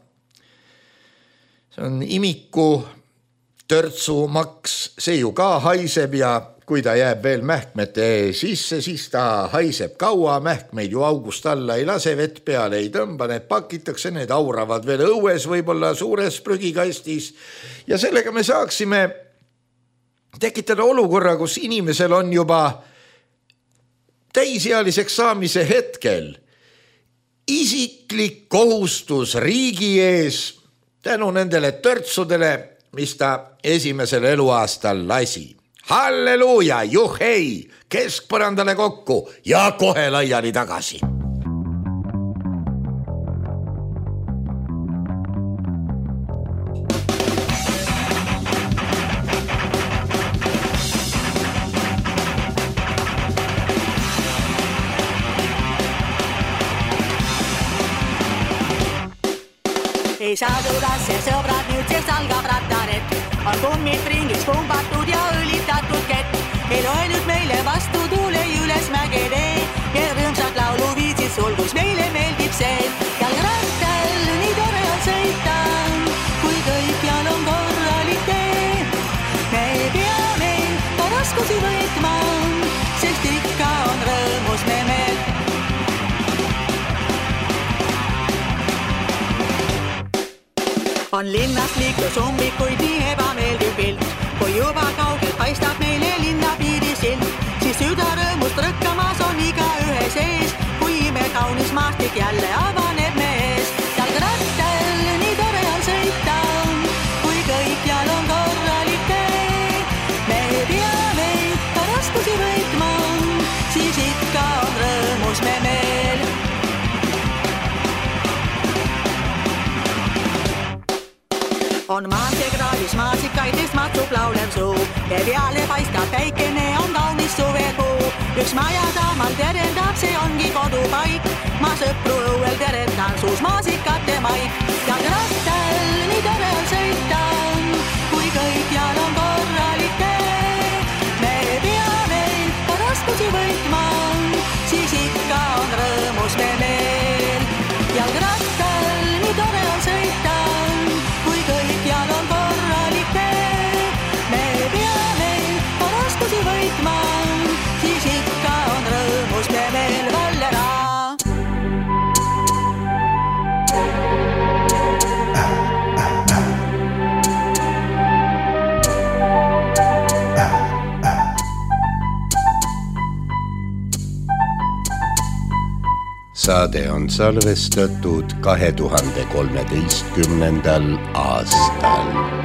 See on imiku törtsumaks, see ju ka haiseb ja kui ta jääb veel mähkmete sisse, siis ta haiseb kaua, mähkmeid ju august alla ei lase, vett peale ei tõmba, need pakitakse, need auravad veel õues, võib-olla suures prügikastis ja sellega me saaksime tekitada olukorra, kus inimesel on juba täisealiseks saamise hetkel isiklik kohustus riigi ees tänu nendele törtsudele, mis ta esimesel eluaastal lasi. Halleluuja, juhei, keskpõrandale kokku ja kohe laiali tagasi. Ei saadu rasse, sõbrad, nüüd sest algab rattaret. On kummid ringis pumbatud ja õlitatud kett. Ei loe nüüd meile vastu tuule üles mägede ja rõõmsad lauluviisid sulgus meile meeldib see. Jalgrattal nii tore on sõita, kui kõikjal on korralik tee. Me peame ka raskusi võitma, sest ikka on rõõmus me meel. On linnast liiklus ummikuid nii ebameeldiv pilt, kui juba kaugelt paistab meile linna piirisilt, siis süda rõõmust rõkkamas on iga ühe sees, kui ime kaunis maastik jälle avaneb mees. Jalgrattal nii tore on sõita, kui kõikjal on korralik tee. Me peame ka raskusi võitma, siis ikka on rõõmus me meel. On maanteekraalis maasikaidest matsub laulev suu ja peale paistab päikene, on kaunis suvekuu. Üks maja taamal terendab, see ongi kodupaik. Ma sõpru õuel terendan suus maasikate maik. Jalgrattal nii tore on sõita, kui kõikjal on korralik tee. Me peame ka raskusi võitma, siis ikka on rõõmus me meel. Jalgrattal nii tore on sõita, kui kõikjal on korralik tee. Me peame saade on salvestatud 2013. aastal.